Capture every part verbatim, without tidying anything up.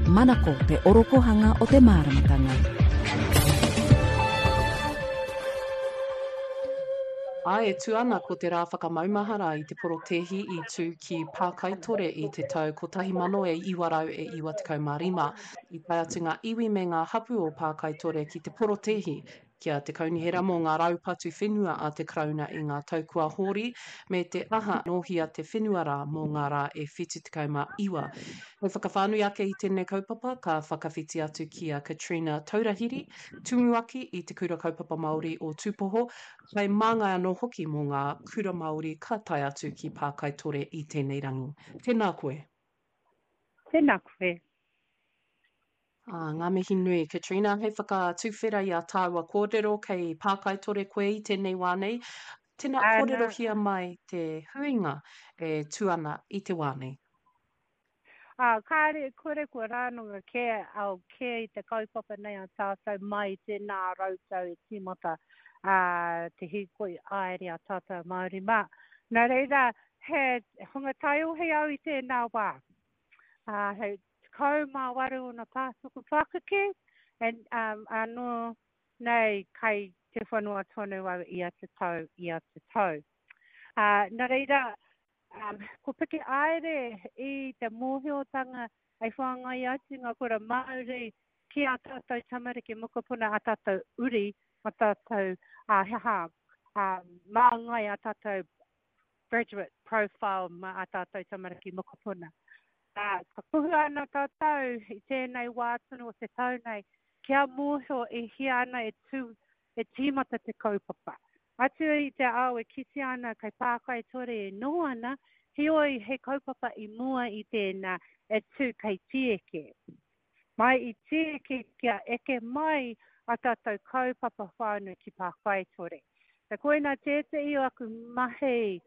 Manako te orokohanga o te māramatanga. Ā, e tū ana ko te rā whakamaumahara i te porotēhi i tū ki Pākaitore i te tau kotahi mano e iwa rau e iwa tekau mā rima. I tae atu ngā iwi me ngā hapū o Pākaitore ki te porotēhi ki a Te Kaunihera mō ngā raupatu whenua a te Karauna i ngā tau kua hori, me te aha nōhia te whenua rā mō ngā rā e whitu tekau mā iwa. Hei whakawhānui ake i tēnei kaupapa, ka whakawhiti atu ki a Katrina Taurahiri, Tumuaki i Te Kura Kaupapa Māori o Tūpoho, hei māngai anō hoki mō ngā kura Māori ka tae atu ki Pākaitore i tēnei rangi. Tēnā koe. Tēnā koe. Ā, ngā mihi nui, Katrina, hei whakatuwhera i a tāua kōrero kei Pākaitore koe i tēnei wā nei. Tēnā, Ana. kōrerohia mai te huinga e tū ana i te wā nei. Ā, kāre, kore kua rānanga kē au kē i te kaupapa nei a tātou mai i tēnā rautau e tīmata ā, te hīkoi āere a tātou Māori mā. Nā reira, he hunga taiohi au i tēnā wā. Ā, he tekau mā waru ōna pātuku pākeke, and, um, anō nei kai te whanua tonu au ia te tau, ia te tau. Ā, nā reira, um, ko piki aere i te mōhiotanga hei whāngai atu ngā kura Māori ki a tātou tamariki mokopuna, a tātou uri, a tātou, ā, he aha, ā, māngai a tātou graduate profile mā a tātou tamariki mokopuna. Ā, ka kuhua ana tātou i tēnei wā tonu o te tau nei, kia mōhio e hia ana e tū, e tīmata te kaupapa. Atu i te ao e kitea ana kei Pākaitore e noho ana, heoi he kaupapa i mua i tēnā e tū kei Tīeke. Mai i Tīeke kia eke mai a tātou kaupapa whānui ki Pākaitore. So koinā tētehi o aku mahi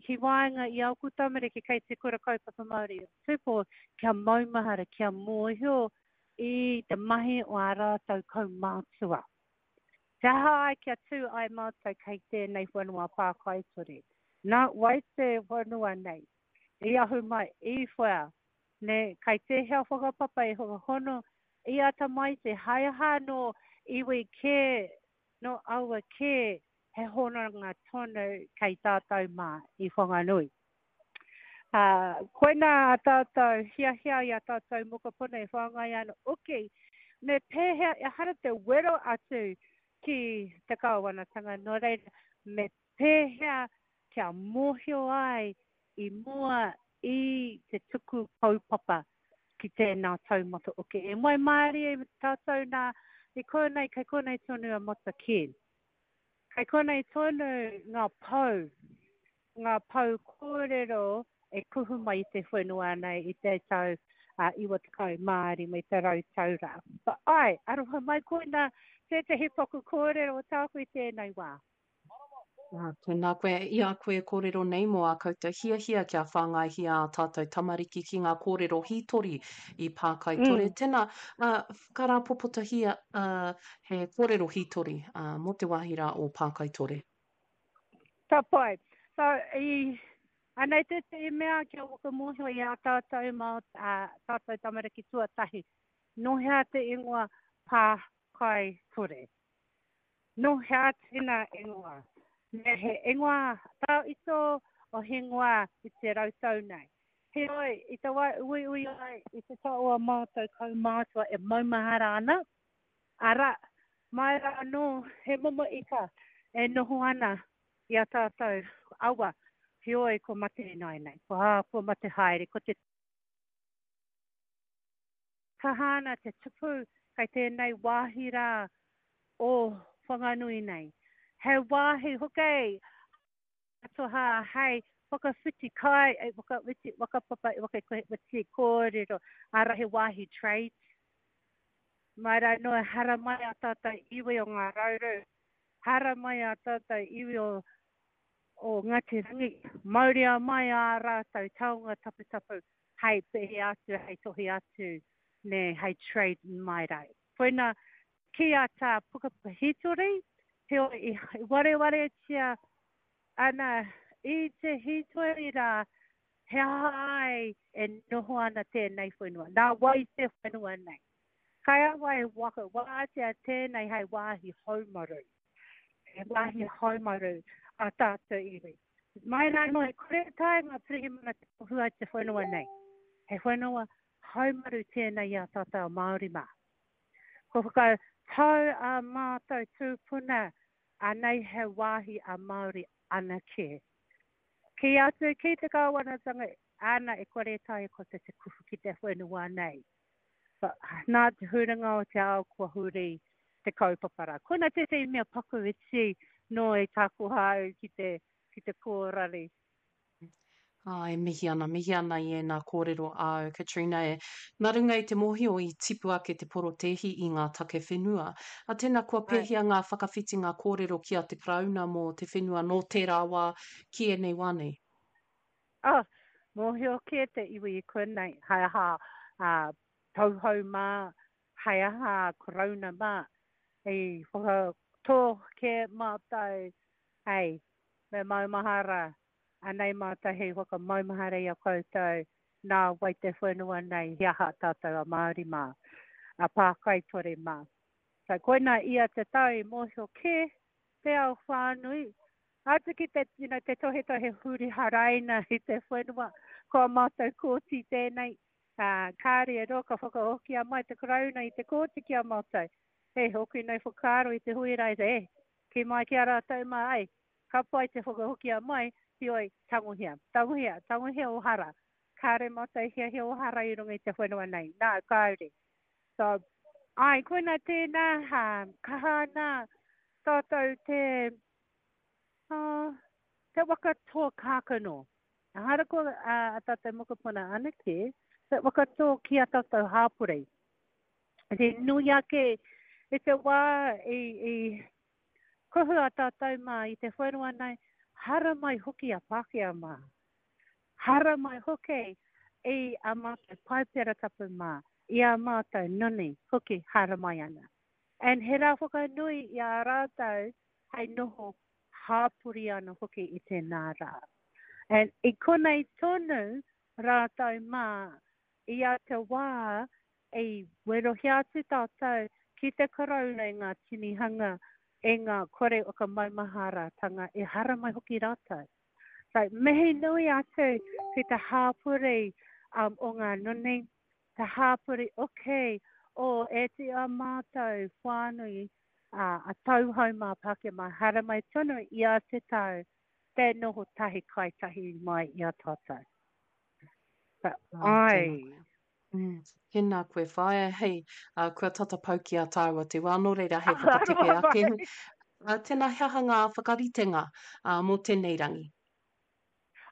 ki waenga i āku tamariki kei te Kura Kaupapa Māori o Tupou kia maumahara, kia mōhio i te mahi o ā rātou kaumātua. Te aha ai kia tū ai mātou kei tēnei whenua pākaitore? Nā wai te whenua nei i ahu mai, i whea, nē, kei tēhea whakapapa e whakahono i a tamaiti, hai aha nō iwi kē, nō aua kē he hononga tonu kei tātou mā i Whanganui. Ā, koinā a tātou hiahia i a tātou mokopuna e whāngai ana oki, me pēhea ehara te wero atu ki te kāwanatanga, nō reira, me pēhea kia mōhio ai i mua i te tuku kaupapa ki tēnā taumata oki. E waimarie tātou nā i konei, kei konei tonu a Matakē. Kei konei tonu ngā pou, ngā pou kōrero e kuhu mai i te whenua nei i te tau iwa tekau mā rima i te rau tau rā. But ai, aroha mai koinā tētehi paku kōrero tāku i tēnei wā. Ā, tēnā koe, i a koe e kōrero nei mō ā koutou hiahia kia whāngaihia ā tātou tamariki ki ngā kōrero hītori i Pākaitore. Mm. Tēnā, ā, whakarāpopotahia, ā, he kōrero hītori, ā, mō te wāhi rā o Pākaitore. Ka pai. So, i, anei tētehi mea kia whakamōhio i ā tātou mā, ā tātou tamariki tuatahi. Nō hea te ingoa Pākaitore? Nō hea tēnā ingoa? Me he ingoa tawhito o hingoa i te rautau nei. Heoi, i te wā uiui ai i te taua mātou kaumātua e maumahara ana, arā, mai rā anō he momo ika e noho ana i a tātou awa, heoi kua mate ināianei, kua, kua mate haere, ko te Kaha ana te tupu kei tēnei wāhi rā o Whanganui nei. He wāhi hoki atoha hei whakawhiti kai, whakawhiti whakapapa, whakawhiti kōrero, arā he wāhi trade. Mai rā noa haramai a tātou iwi o Ngā Rauru, haramai a tātou iwi o o Ngāti Rangi, mauria mai ā rātou taonga taputapu hei pēhi atu, hei tohi atu, nē, hei trade mai rā. Koina ki a tā pukapuka hītori, heoi i warewaretia ana i te hītori rā, He aha ai e noho ana tēnei whenua? Nā wai te whenua nei? Kai a wai waka wātea tēnei hei wāhi haumaru. He wāhi haumaru a tātou iwi. Mai rā noa, e kore tae ngā pirihimana te kuhu te whenua nei. He whenua haumaru tēnei i a tātou Māori mā. Ko whakatau a mātou tūpuna, anei he wāhi a Māori anake. Ki atu ki te kāwanatanga, ana e kore tae ko te te kuhu ki te whenua nei. But, nā te huringa o te ao kua huri te kaupapa rā. Koina tētehi mea paku iti no e takoha au ki te, ki te kōrari. Ā, e mihi ana, mihi ana i ēnā kōrero āu, Katrina, e. Nā runga i te mōhio i tipu ake te porotēhi i ngā take whenua. A tēnā kua pēhea ngā whakawhitinga kōrero ki a te Karauna mō te whenua nō tērā wā ki ēnei wā nei? Oh, mōhio kē te iwi i konei, hei aha uh, tauhou mā, hei aha Karauna mā, i whakatō kē mātou, hei, me maumahara, anei mātou hei whakamaumahara i a koutou, nā wai te whenua nei, he aha tātou a Māori mā, a Pākaitore mā. So, koina ia te tau i mōhio kē, te ao whānui, atu ki te, you know, te tohe tohe huri haraina i te whenua, ko a mātou kōti tēnei, uh, kāre e roa ka whakahokia mai te Karauna i te kōti ki a mātou. He hoki nei whakaaro i te hui rai te, eh, ki mai ki a rātou mā, ai, ka pai te whakahokia mai, heoi, tangohia, tangohia, tangohia o hara. Kāre mātou hiahia o hara i runga i te whenua nei. Nā, kāore. So, ai, koina tēnā, ha, kaha ana tātou te, uh, te waka tō kākano. Ahara ko uh, a tātou mokopuna anake, te waka tō ki a tātou hāpori. Te nui ake i te wā i, i kuhu a tātou mā i te whenua nei, hara mai hoki a Pākehā mā. Hara mai hoki i a mātou paipera tapu mā, i a mātou noni hoki hara mai ana. And he rā whakanui i a rātou hei noho hāpori ana hoki i tēnā rā. And i konei tonu rātou mā i a te wā i werohia atu tātou ki te Karauna i ngā tinihanga e ngā kore o ka maumaharatanga e hara mai hoki rātou. So, mihi nui atu ki te hāpori um, o ngā noni, te hāpori oke o e te a mātou whānui uh, a tauhou mā Pākehā mā hara mai tonu i a te tau, te noho tahi kai tahi mai i a tātou. So, Ah, ai. tēnā koe. Mm, tēnā koe whaea, hei, uh, kua tata pau ki a tāua te wā, nō reira hei whakatepe ake. Uh, tēnā he aha ngā whakaritenga uh, mō tēnei rangi?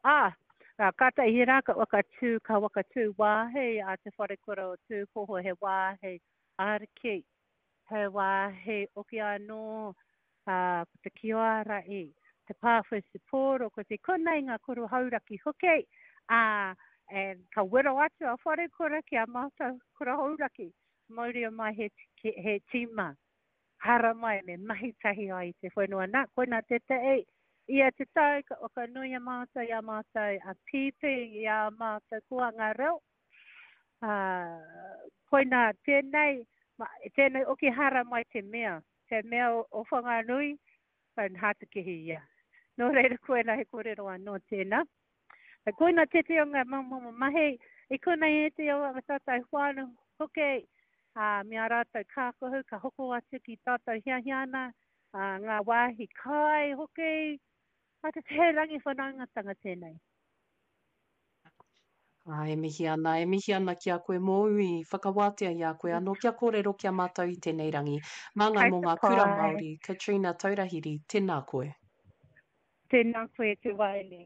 Ah, uh, kātahi rā ka wakatū, ka wakatū wāhi a te wharekura o Tūpoho, he wāhi ariki, he wāhi oki anō, uh, ko te kioara i, te pāwhesi pōro, ko te konei ngā kuru hauraki hoki, uh, and ka wero atu a wharekura ki a mātou kura hauraki, mauria mai he, he tīma, hara mai me mahi tahi ai te whenua nā, koina te te e, ia te tau ka whakanui a mātou i a mātou a pīpī i a mātou kua ngā reo. Uh, koina tēnei, ma, tēnei oki hara mai te mea, te mea o, o Whanganui, and hātakihi ia. Nō reira koina he kōrero anō tēnā. Koina te te o ngā momo mahi, i konei e te o ngā tātou whānau hoki, uh, me a rātou kākohu, ka hoko atu ki tātou hiahia ana, uh, ngā wāhi kai hoki, a te te rangi whanaungatanga tēnei. Ā, e mihi ana, e mihi ana ki a koe mōu i whakawātea i a koe anō kia kōrero ki a mātou i tēnei rangi. Māngai Kai mō te ngā kura pai. Māori, Katrina Taurahiri, tēnā koe. Tēnā koe te waene.